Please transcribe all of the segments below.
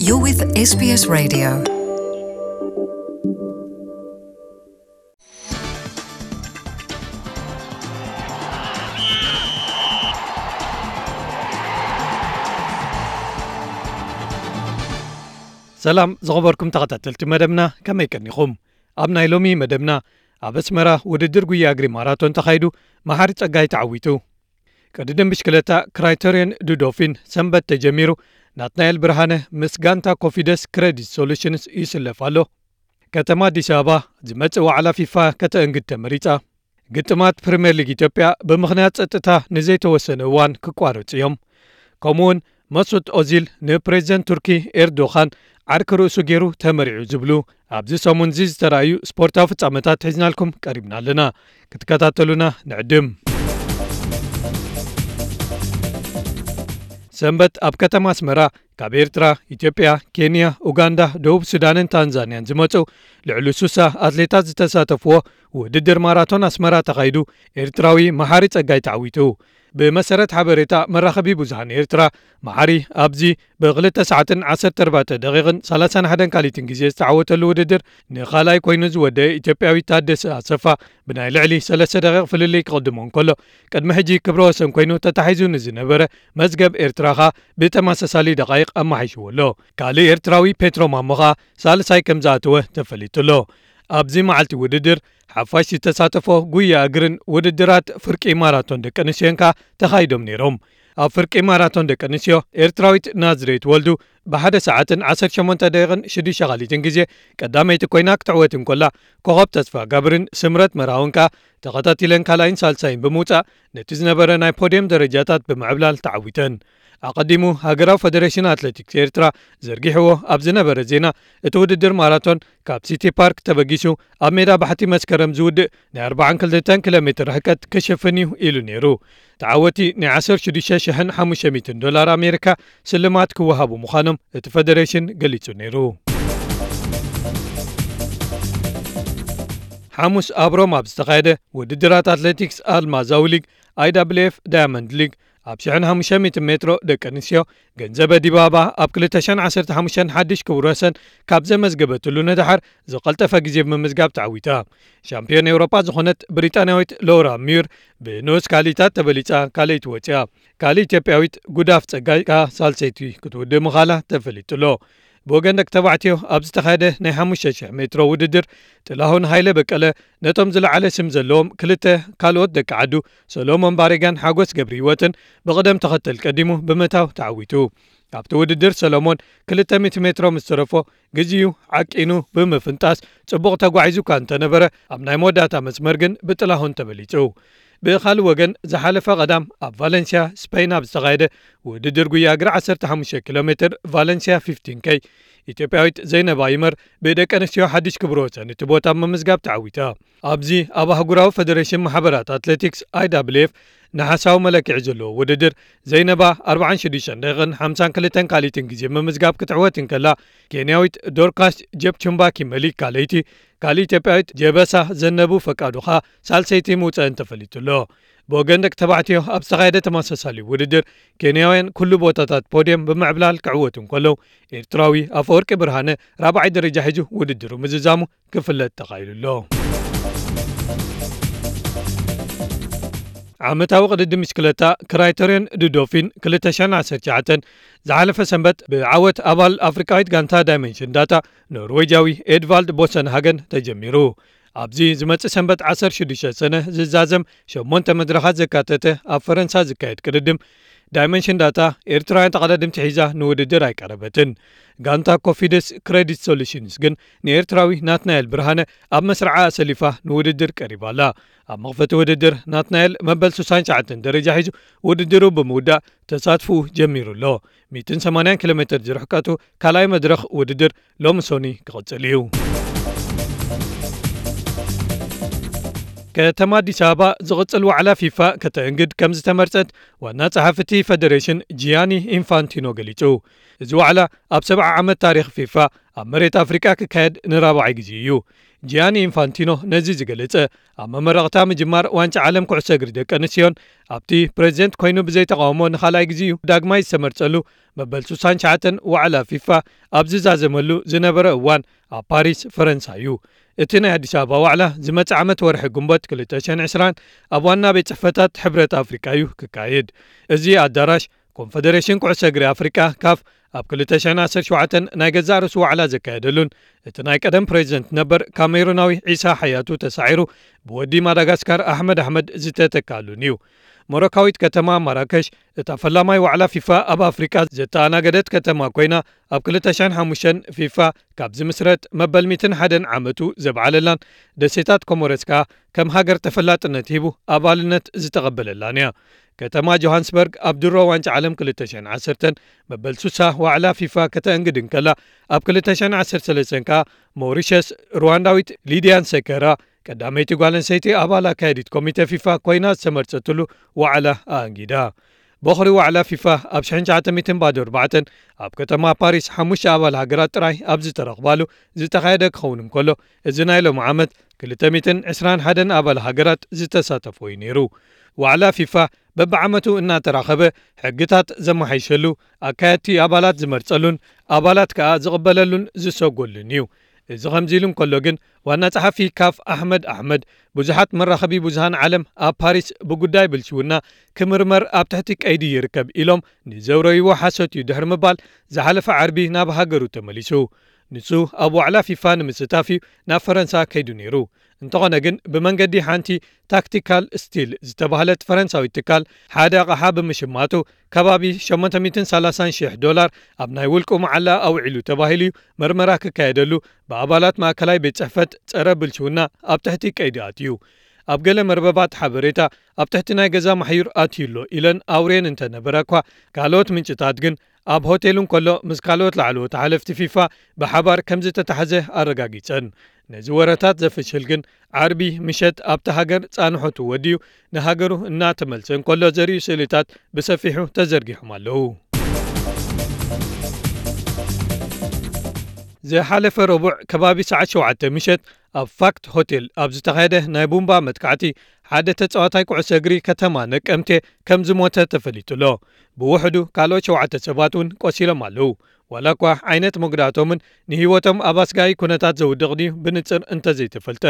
You're with S B S Radio. ሰላም ዝኸበርኩም ተኸታተልቲ መደብና፣ ከመይ ቀኒኹም? ኣብ ናይ ሎሚ መደብና፣ ኣብ ኣስመራ ውድድር ጉያ እግሪ ማራቶን ተኻይዱ፣ መሓሪ ጸጋይ ተዓዊቱ። ቅድድም ብሽክለታ ክራይተርዮን ዱዶፊን ሰንበት ተጀሚሩ፣ ናትናኤል ብርሃነ ምስ ጋንታ ኮፊደስ ክሬዲት ሶሉሽንስ ይስለፍ ኣሎ። ከተማ ኣዲስ ኣበባ ዝመጽእ ዋዕላ ፊፋ ከተእንግድ ተመሪጻ። ግጥማት ፕሪምየር ሊግ ኢትዮጵያ ብምኽንያት ጸጥታ ንዘይተወሰነ እዋን ክቋረጹ እዮም። ከምኡውን መሱት ኦዚል ንፕሬዚደንት ቱርኪ ኤርዶኻን ዓርኪ ርእሱ ገይሩ ተመሪዑ ዝብሉ ኣብዚ ሰሙን እዚ ዝተራእዩ ስፖርታዊ ፍጻመታት ሒዝናልኩም ቀሪብና ኣለና። ክትከታተሉና ንዕድም። ሰንበት ኣብ ከተማ ኣስመራ ካብ ኤርትራ፣ ኢትዮጵያ፣ ኬንያ፣ ኡጋንዳ፣ ደቡብ ሱዳንን ታንዛንያን ዝመጹ ልዕሊ ሱሳ ኣትሌታት ዝተሳተፍዎ ውድድር ማራቶን ኣስመራ ተኻይዱ፣ ኤርትራዊ መሓሪ ጸጋይ ተዓዊቱ። ብመሰረት ሓበሬታ መራኸቢ ብዙሃን ኤርትራ፣ መሓሪ ኣብዚ ብክልተ ሰዓትን ዓሰርተ ኣርባዕተ ደቂቕን ሰላሳን ሓደን ካሊትን ግዜ ዝተዓወተሉ ውድድር ንኻልኣይ ኮይኑ ዝወደአ ኢትዮጵያዊ ታደሰ ኣሰፋ ብናይ ልዕሊ ሰለስተ ደቂቕ ፍልልይ ክቕድሞ እንከሎ፣ ቅድሚ ሕጂ ክብረ ወሰን ኮይኑ ተታሒዙ ንዝነበረ መዝገብ ኤርትራ ኸኣ ብተመሳሳሊ ደቓይቕ ኣመሓይሽዎ ኣሎ። ካልእ ኤርትራዊ ፔትሮ ማሞ ኸኣ ሳልሳይ ከም ዝኣተወ ተፈሊጡ ኣሎ። ኣብዚ መዓልቲ ውድድር ሓፋሽ ዝተሳተፎ ጉያ እግርን ውድድራት ፍርቂ ማራቶን ደቂ ኣንስትዮን ከኣ ተኻይዶም ነይሮም። ኣብ ፍርቂ ማራቶን ደቂ ኣንስትዮ ኤርትራዊት ናዝሬት ወልዱ ብሓደ ሰዓትን ዓሰርተ ሸሞንተ ደቂቕን ሽዱሽተ ካሊትን ግዜ ቀዳመይቲ ኮይና ክትዕወት እንከላ፣ ኮኸብ ተስፋ ጋብርን ስምረት መርሃውን ከኣ ተኸታቲለን ካልኣይን ሳልሳይን ብምውጻእ ነቲ ዝነበረ ናይ ፖድየም ደረጃታት ብምዕብላል ተዓዊተን። ኣቐዲሙ ሃገራዊ ፈደሬሽን ኣትሌቲክስ ኤርትራ ዘርጊሕዎ ኣብ ዝነበረ ዜና፣ እቲ ውድድር ማራቶን ካብ ሲቲ ፓርክ ተበጊሱ ኣብ ሜዳ ባሕቲ መስከረም ዝውድእ ናይ ኣርባዓን ክልተን ኪሎ ሜትር ርሕቀት ክሽፍን እዩ ኢሉ ነይሩ። ተዓወቲ ናይ ዓሰርተ ሽዱሽተ ሽሕን ሓሙሽተ ሚእትን ዶላር ኣሜሪካ ስልማት ክወሃቡ ምዃኖም እቲ ፈደሬሽን ገሊጹ ነይሩ። ሓሙስ ኣብ ሮማ ኣብ ዝተኻየደ ውድድራት ኣትሌቲክስ ኣልማዛዊ ሊግ፣ ኣይ ዳብልዩ ኤፍ ዳያመንድ ሊግ፣ ኣብ ሽሕን ሓሙሽተ ሚእትን ሜትሮ ደቂ ኣንስትዮ፣ ገንዘበ ዲባባ ኣብ ክልተ ሽሕን ዓሰርተ ሓሙሽተን ሓድሽ ክቡር ወሰን ካብ ዘመዝገበትሉ ንደሓር ዝቐልጠፈ ግዜ ብምምዝጋብ ተዓዊታ። ሻምፒዮን ኤውሮጳ ዝኾነት ብሪጣንያዊት ሎራ ሚዩር ብንኡስ ካልኢታት ተበሊጻ ካልኣይቲ ወጺኣ። ካልእ ኢትዮጵያዊት ጉዳፍ ጸጋይ ከኣ ሳልሰይቲ ክትውድእ ምኻላ ተፈሊጡ ኣሎ። ብወገን ደቂ ተባዕትዮ ኣብ ዝተኻየደ ናይ ሓሙሽተ ሽሕ ሜትሮ ውድድር፣ ጥላሁን ሃይለ በቀለ ነቶም ዝለዓለ ስም ዘለዎም ክልተ ካልኦት ደቂ ዓዱ፣ ሰሎሞን ባሬጋን ሓጎስ ገብረ ህይወትን፣ ብቕደም ተኸተል ቀዲሙ ብምእታው ተዓዊቱ። ኣብቲ ውድድር ሰሎሞን ክልተ ሚእቲ ሜትሮ ምስ ተረፎ፣ ግዜኡ ዓቂኑ ብምፍንጣስ ጽቡቕ ተጓዒዙ እኳ እንተነበረ፣ ኣብ ናይ መወዳእታ መስመር ግን ብጥላሁን ተበሊጹ። ብኻልእ ወገን፣ ዝሓለፈ ቀዳም ኣብ ቫለንስያ ስፔን ኣብ ዝተኻየደ ውድድር ጉያ እግሪ ዓሰርተ ሓሙሽተ ኪሎ ሜትር ቫለንስያ ፊፍቲን ኬይ፣ ኢትዮጵያዊት ዘይነባ ይመር ብደቂ ኣንስትዮ ሓድሽ ክብረ ወሰን እቲ ቦታ ብምምዝጋብ ተዓዊታ። ኣብዚ ኣብ ኣህጉራዊ ፈደሬሽን ማሕበራት ኣትሌቲክስ፣ ኣይ ዳብልዩ ኤፍ፣ ነሓሳዊ መለክዒ ዘለዎ ውድድር፣ ዘይነባ ኣርባዓን ሽዱሽተን ደቂቕን ሓምሳን ክልተን ካልኢትን ግዜ ምምዝጋብ ክትዕወት እንከላ፣ ኬንያዊት ዶርካስ ጀፕቹምባ ኪመሊ ካልኣይቲ፣ ካልእ ኢትዮጵያዊት ጀበሳ ዘነቡ ፈቃዱ ኸኣ ሳልሰይቲ ምውጸእን ተፈሊጡ ኣሎ። ብወገን ደቂ ተባዕትዮ ኣብ ዝተኻየደ ተመሳሳሊ ውድድር፣ ኬንያውያን ኩሉ ቦታታት ፖድየም ብምዕብላል ክዕወቱ እንከለዉ፣ ኤርትራዊ ኣፈወርቂ ብርሃነ ራብዓይ ደረጃ ሒዙ ውድድሩ ምዝዛሙ ክፍለጥ ተኻኢሉ ኣሎ። ዓመታዊ ቅድድም ብሽክለታ ክራይተርዮን ዱዶፊን ክልተ ሽሕን ዓሰርተ ትሽዓተን ዝሓለፈ ሰንበት ብዓወት ኣባል ኣፍሪቃዊት ጋንታ ዳይመንሽን ዳታ ኖርዌጃዊ ኤድቫልድ ቦሰንሃገን ተጀሚሩ። ኣብዚ ዝመጽእ ሰንበት ዓሰርተ ሽዱሽተ ሰነ ዝዛዘም ሸሞንተ መድረኻት ዘካተተ ኣብ ፈረንሳ ዝካየድ ቅድድም፣ ዳይመንሽን ዳታ ኤርትራውያን ተቐዳድምቲ ሒዛ ንውድድር ኣይቀረበትን። ጋንታ ኮፊደስ ክሬዲት ሶሉሽንስ ግን ንኤርትራዊ ናትናኤል ብርሃነ ኣብ መስርዓ ኣሰሊፋ ንውድድር ቀሪባ ኣላ። ኣብ መኽፈቲ ውድድር ናትናኤል መበል ሱሳን ትሽዓተን ደረጃ ሒዙ ውድድሩ ብምውዳእ ተሳትፎኡ ጀሚሩ ኣሎ። ሚእትን ሰማንያን ኪሎ ሜትር ዝርሕቀቱ ካልኣይ መድረኽ ውድድር ሎሚ ሶኒ ክቕጽል እዩ። ከተማ ኣዲስ ኣበባ ዝቕጽል ዋዕላ ፊፋ ከተእንግድ ከም ዝተመርጸት ዋና ጸሓፊ እቲ ፈደሬሽን ጂያኒ ኢንፋንቲኖ ገሊጹ። እዚ ዋዕላ ኣብ ሰብዓ ዓመት ታሪኽ ፊፋ ኣብ መሬት ኣፍሪቃ ክካየድ ንራብዓይ ግዜ እዩ። ጂያኒ ኢንፋንቲኖ ነዚ ዝገለጸ ኣብ መመረቕታ ምጅማር ዋንጫ ዓለም ኩዕሶ እግሪ ደቂ ኣንስትዮን ኣብቲ ፕሬዚደንት ኮይኑ ብዘይተቃውሞ ንኻልኣይ ግዜኡ ዳግማይ ዝተመርጸሉ መበል ስሳን ትሽዓተን ዋዕላ ፊፋ ኣብ ዝዛዘመሉ ዝነበረ እዋን ኣብ ፓሪስ ፈረንሳ እዩ። እቲ ናይ ኣዲስ ኣበባ ዋዕላ ዝመጽእ ዓመት ወርሒ ግንቦት ክልተ ሽሕን ዕስራን ኣብ ዋና ቤት ጽሕፈታት ሕብረት ኣፍሪቃ እዩ ክካየድ። እዚ ኣዳራሽ ኮንፈደሬሽን ኩዕሶ እግሪ ኣፍሪቃ ካፍ ኣብ ክልተ ሽሕን ዓሰርተ ሸውዓተን ናይ ገዛእ ርእሱ ዋዕላ ዘካየደሉን እቲ ናይ ቀደም ፕሬዚደንት ነበር ካሜሩናዊ ዒሳ ሓያቱ ተሳዒሩ ብወዲ ማዳጋስካር ኣሕመድ ኣሕመድ ዝተተካሉን እዩ። ሞሮካዊት ከተማ ማራከሽ እታ ፈላማይ ዋዕላ ፊፋ ኣብ ኣፍሪቃ ዘተኣናገደት ከተማ ኮይና ኣብ ክልተ ሽሕን ሓሙሽተን ፊፋ ካብ ዝምስረት መበል ሚእትን ሓደን ዓመቱ ዘብዓለላን ደሴታት ኮሞረስ ከኣ ከም ሃገር ተፈላጥነት ሂቡ ኣባልነት ዝተቐበለላን እያ። ከተማ ጆሃንስበርግ ኣብ ድሮ ዋንጫ ዓለም ክልተ ሽሕን ዓሰርተን መበል ስሳ ዋዕላ ፊፋ ከተእንግድ እንከላ ኣብ ክልተ ሽሕን ዓሰርተ ሰለስተን ከኣ ሞሪሸስ ሩዋንዳዊት ሊድያን ሰከራ ቀዳመይቲ ጓል ኣንስተይቲ ኣባል ኣካያዲት ኮሚተ ፊፋ ኮይና ዝተመርጸትሉ ዋዕላ ኣእንጊዳ። ቦኽሪ ዋዕላ ፊፋ ኣብ ሽሕን ትሽዓተ ሚእትን ባዶ ኣርባዕተን ኣብ ከተማ ፓሪስ ሓሙሽተ ኣባል ሃገራት ጥራይ ኣብ ዝተረኽባሉ ዝተኻየደ ክኸውን እንከሎ፣ እዚ ናይ ሎሚ ዓመት ክልተ ሚእትን ዕስራን ሓደን ኣባል ሃገራት ዝተሳተፎ እዩ ነይሩ። ዋዕላ ፊፋ በብዓመቱ እናተራኸበ ሕግታት ዘመሓይሸሉ፣ ኣካየድቲ ኣባላት ዝመርጸሉን ኣባላት ከኣ ዝቕበለሉን ዝሰጎሉን እዩ። እዚ ከምዚ ኢሉ እንከሎ ግን ዋና ጸሓፊ ካፍ ኣሕመድ ኣሕመድ ብዙሓት መራኸቢ ብዙሃን ዓለም ኣብ ፓሪስ ብጉዳይ ብልሽውና ክምርመር ኣብ ትሕቲ ቀይዲ ይርከብ ኢሎም ንዘውረይዎ ሓሶት እዩ ድሕሪ ምባል ዝሓለፈ ዓርቢ ናብ ሃገሩ ተመሊሱ። ንሱ ኣብ ዋዕላ ፊፋ ንምስታፍ እዩ ናብ ፈረንሳ ከይዱ ነይሩ። እንተኾነ ግን ብመንገዲ ሓንቲ ታክቲካል ስቲል ዝተባህለት ፈረንሳዊት ትካል ሓደ ኣቕሓ ብምሽማቱ ከባቢ ሸሞንተ ሚእትን ሰላሳን ሽሕ ዶላር ኣብ ናይ ውልቁ መዓላ ኣውዒሉ ተባሂሉ እዩ መርመራ ክካየደሉ ብኣባላት ማእከላይ ቤት ጽሕፈት ጸረ ብልሽውና ኣብ ትሕቲ ቀይዲ ኣትዩ። ኣብ ገለ መርበባት ሓበሬታ ኣብ ትሕቲ ናይ ገዛ ማሕዩር ኣትዩ ኣሎ ኢለን ኣውሬን እንተነበራ እኳ፣ ካልኦት ምንጭታት ግን ኣብ ሆቴሉ እንከሎ ምስ ካልኦት ላዕለዎት ሓለፍቲ ፊፋ ብሓባር ከም ዝተታሕዘ ኣረጋጊጸን። ነዚ ወረታት ዘፍሽል ግን ዓርቢ ምሸት ኣብቲ ሃገር ጻንሖቱ ወዲኡ ንሃገሩ እናተመልሰ እንከሎ ዘርእዩ ስእልታት ብሰፊሑ ተዘርጊሖም ኣለዉ። ዝሓለፈ ረቡዕ ከባቢ ሰዓት ሸውዓተ ምሸት ኣብ ፋክት ሆቴል ኣብ ዝተኻየደ ናይ ቡምባ መጥቃዕቲ ሓደ ተጻዋታይ ኩዕሶ እግሪ ከተማ ነቀምቴ ከም ዝሞተ ተፈሊጡ ኣሎ። ብውሕዱ ካልኦት ሸውዓተ ሰባት እውን ቆሲሎም ኣለዉ። ዋላ እኳ ዓይነት መጉዳእቶምን ንህይወቶም ኣብ ኣስጋኢ ኩነታት ዘውድቕ ድዩ ብንጽር እንተዘይተፈልጠ፣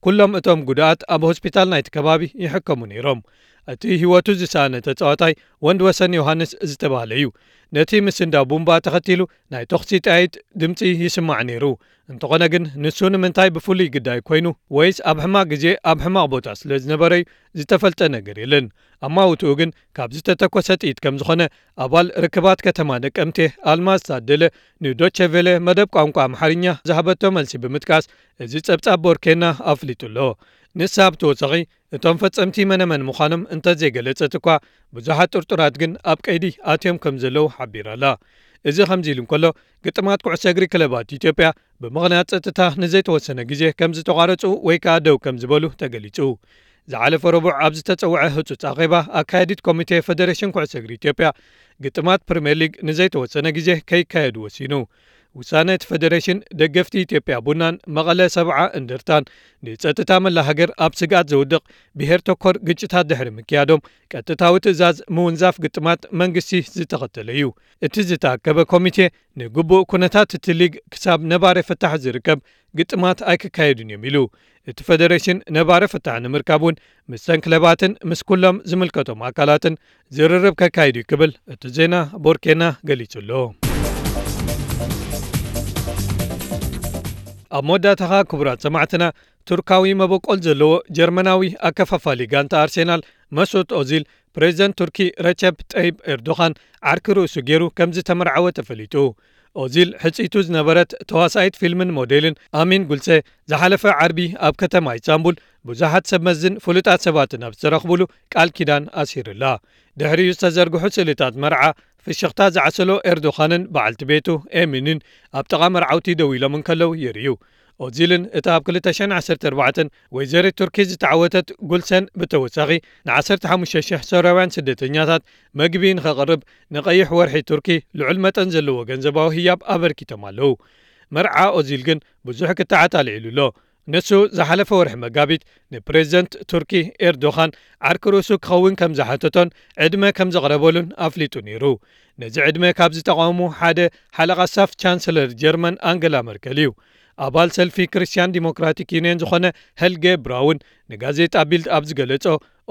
ኩሎም እቶም ጉድኣት ኣብ ሆስፒታል ናይቲ ከባቢ ይሕከሙ ነይሮም። እቲ ህይወቱ ዝሰኣነ ተጻዋታይ ወንድ ወሰን ዮሃንስ ዝተባህለ እዩ። ነቲ ምስንዳው ቡምባ ተኸቲሉ ናይ ተኹሲ ጠያይት ድምጺ ይስማዕ ነይሩ። እንተኾነ ግን ንሱ ንምንታይ ብፍሉይ ግዳይ ኮይኑ ወይስ ኣብ ሕማቕ ግዜ ኣብ ሕማቕ ቦታ ስለ ዝነበረ እዩ ዝተፈልጠ ነገር የለን። ኣማውትኡ ግን ካብ ዝተተኮሰ ጥይት ከም ዝኾነ ኣባል ርክባት ከተማ ነቀምቴ ኣልማዝ ታደለ ንዶቸ ቬለ መደብ ቋንቋ ኣምሓርኛ ዝሃበቶ መልሲ ብምጥቃስ እዚ ጸብጻብ ቦርኬና ኣፍሊጡ ኣሎ። ንሳ ብተወሳኺ እቶም ፈጸምቲ መነመን ምዃኖም እንተዘይገለጸት እኳ ብዙሓት ጥርጡራት ግን ኣብ ቀይዲ ኣትዮም ከም ዘለዉ ሓቢራ ኣላ። እዚ ከምዚ ኢሉ እንከሎ ግጥማት ኩዕሶ እግሪ ክለባት ኢትዮጵያ ብምኽንያት ጸጥታ ንዘይተወሰነ ግዜ ከም ዝተቋረጹ ወይ ከኣ ደው ከም ዝበሉ ተገሊጹ። ዝሓለፈ ረቡዕ ኣብ ዝተጸውዐ ህጹጽ ኣኼባ ኣካያዲት ኮሚቴ ፈደሬሽን ኩዕሶ እግሪ ኢትዮጵያ ግጥማት ፕሪምየር ሊግ ንዘይተወሰነ ግዜ ከይካየዱ ወሲኑ። ውሳነ እቲ ፈደሬሽን ደገፍቲ ኢትዮጵያ ቡናን መቐለ ሰብዓ እንደርታን ንጸጥታ መላ ሃገር ኣብ ስግኣት ዘውድቕ ብሄር ተኮር ግጭታት ድሕሪ ምክያዶም ቀጥታዊ ትእዛዝ ምውንዛፍ ግጥማት መንግስቲ ዝተኸተለ እዩ። እቲ ዝተኣከበ ኮሚቴ ንግቡእ ኩነታት እቲ ሊግ ክሳብ ነባሪ ፍታሕ ዝርከብ ግጥማት ኣይክካየዱን እዮም ኢሉ። እቲ ፈደሬሽን ነባሪ ፍታሕ ንምርካብ እውን ምስተን ክለባትን ምስ ኩሎም ዝምልከቶም ኣካላትን ዝርርብ ከካይድ እዩ ክብል እቲ ዜና ቦርኬና ገሊጹ ኣሎ። ኣብ መወዳእታኻ ክቡራት ሰማዕትና፣ ቱርካዊ መበቆል ዘለዎ ጀርመናዊ ኣከፋፋሊ ጋንታ ኣርሴናል መሱት ኦዚል ፕሬዚደንት ቱርኪ ረቸፕ ጠይብ ኤርዶኻን ዓርኪ ርእሱ ገይሩ ከም ዝተመርዓወ ተፈሊጡ። ኦዚል ሕጽይቱ ዝነበረት ተዋሳኢት ፊልምን ሞዴልን ኣሚን ጉልሴ ዝሓለፈ ዓርቢ ኣብ ከተማ ኢስታንቡል ብዙሓት ሰብ መዝን ፍሉጣት ሰባትን ኣብ ዝተረኽቡሉ ቃል ኪዳን ኣሲሩላ። ድሕሪኡ ዝተዘርግሑ ስእልታት መርዓ ፍሽኽታ ዝዓሰሎ ኤርዶኻንን በዓልቲ ቤቱ ኤሚንን ኣብ ጥቓ መርዓውቲ ደው ኢሎም እንከለዉ የርእዩ። ኦዚልን እታ ኣብ ክልተ ሽሕን ዓሰርተ ኣርባዕተን ወይዘሪት ቱርኪ ዝተዓወተት ጉልሰን ብተወሳኺ ን15,000 ሶርያውያን ስደተኛታት መግቢ ንኸቕርብ ንቐይሕ ወርሒ ቱርኪ ልዑል መጠን ዘለዎ ገንዘባዊ ህያብ ኣበርኪቶም ኣለዉ። መርዓ ኦዚል ግን ብዙሕ ክትዓት ኣልዒሉ ኣሎ። ንሱ ዝሓለፈ ወርሒ መጋቢት ንፕሬዝደንት ቱርኪ ኤርዶኻን ዓርኪ ርእሱ ክኸውን ከም ዝሓተቶን ዕድመ ከም ዘቕረበሉን ኣፍሊጡ ነይሩ። ነዚ ዕድመ ካብ ዝተቓወሙ ሓደ ሓለቓ ስታፍ ቻንስለር ጀርመን ኣንገላ መርከል እዩ። ኣባል ሰልፊ ክርስትያን ዲሞክራቲክ ዩኒየን ዝኾነ ሄልጌ ብራውን ንጋዜጣ ቢልድ ኣብ ዝገለጾ፣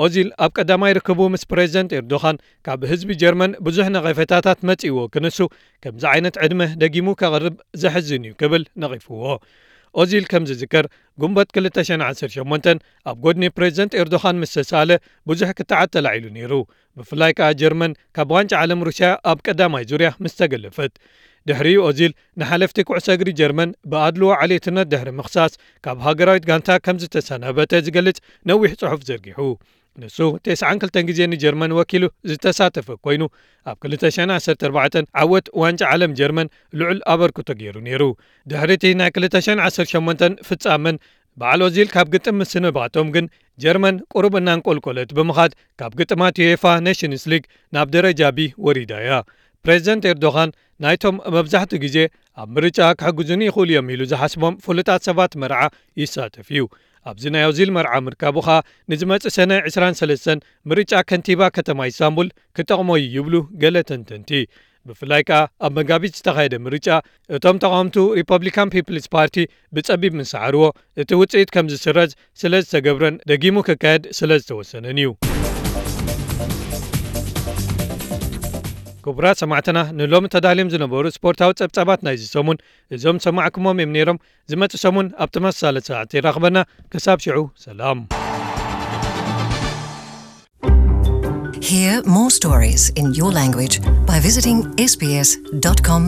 ኦዚል ኣብ ቀዳማይ ርክቡ ምስ ፕሬዝደንት ኤርዶኻን ካብ ህዝቢ ጀርመን ብዙሕ ነቐፌታታት መጺእዎ ክንሱ ከምዚ ዓይነት ዕድመ ደጊሙ ከቕርብ ዘሕዝን እዩ ክብል ነቒፍዎ። ኦዚል ከም ዝዝከር፣ ጉንበት ክልተ ሽሕን ዓሰርተ ሸሞንተን ኣብ ጎድኒ ፕሬዝደንት ኤርዶኻን ምስ ተሳለ ብዙሕ ክትዓት ተላዒሉ ነይሩ። ብፍላይ ከኣ ጀርመን ካብ ዋንጫ ዓለም ሩስያ ኣብ ቀዳማይ ዙርያ ምስ ተገለፈት። ድሕሪኡ ኦዚል ንሓለፍቲ ኩዕሶ እግሪ ጀርመን ብኣድልዎ ዓሌትነት ድሕሪ ምኽሳስ ካብ ሃገራዊት ጋንታ ከም ዝተሰናበተ ዝገልጽ ነዊሕ ጽሑፍ ዘርጊሑ። ንሱ ተስዓን ክልተን ግዜ ንጀርመን ወኪሉ ዝተሳተፈ ኮይኑ፣ ኣብ ክልተ ሽሕን ዓሰርተ ኣርባዕተን ዓወት ዋንጫ ዓለም ጀርመን ልዑል ኣበርክቶ ገይሩ ነይሩ። ድሕሪ እቲ ናይ ክልተ ሽሕን ዓሰርተ ሸሞንተን ፍጻመን በዓል ኦዚል ካብ ግጥም ምስንባቶም ግን ጀርመን ቁሩብ እናንቆልቆለት ብምኻድ ካብ ግጥማት ዩኤፋ ኔሽንስ ሊግ ናብ ደረጃ ቢ ወሪዳ እያ። ፕሬዝደንት ኤርዶኻን ናይቶም መብዛሕትኡ ግዜ ኣብ ምርጫ ክሕግዙኒ ይኽእሉ እዮም ኢሉ ዝሓስቦም ፍሉጣት ሰባት መርዓ ይሳተፍ እዩ። ኣብዚ ናይ ኦዚል መርዓ ምርካቡ ኸኣ ንዝመጽእ ሰነ ዕስራን ሰለስተን ምርጫ ከንቲባ ከተማ ኢስታንቡል ክጠቕሞ እዩ ይብሉ ገለ ተንተንቲ። ብፍላይ ከኣ ኣብ መጋቢት ዝተኻየደ ምርጫ እቶም ተቓወምቱ ሪፐብሊካን ፒፕልስ ፓርቲ ብጸቢብ ምስ ሰዓርዎ፣ እቲ ውጽኢት ከም ዝስረዝ ስለ ዝተገብረን ደጊሙ ክካየድ ስለ ዝተወሰነን እዩ። ክቡራት ሰማዕትና፣ ንሎሚ ተዳልዮም ዝነበሩ ስፖርታዊ ጸብጻባት ናይዚ ሰሙን እዞም ሰማዕኩሞም እዮም ነይሮም። ዝመጽእ ሰሙን ኣብ ተመሳሳሊ ሰዓት ይራኽበና። ክሳብ ሽዑ ሰላም። Hear more stories in your language by visiting sbs.com.au.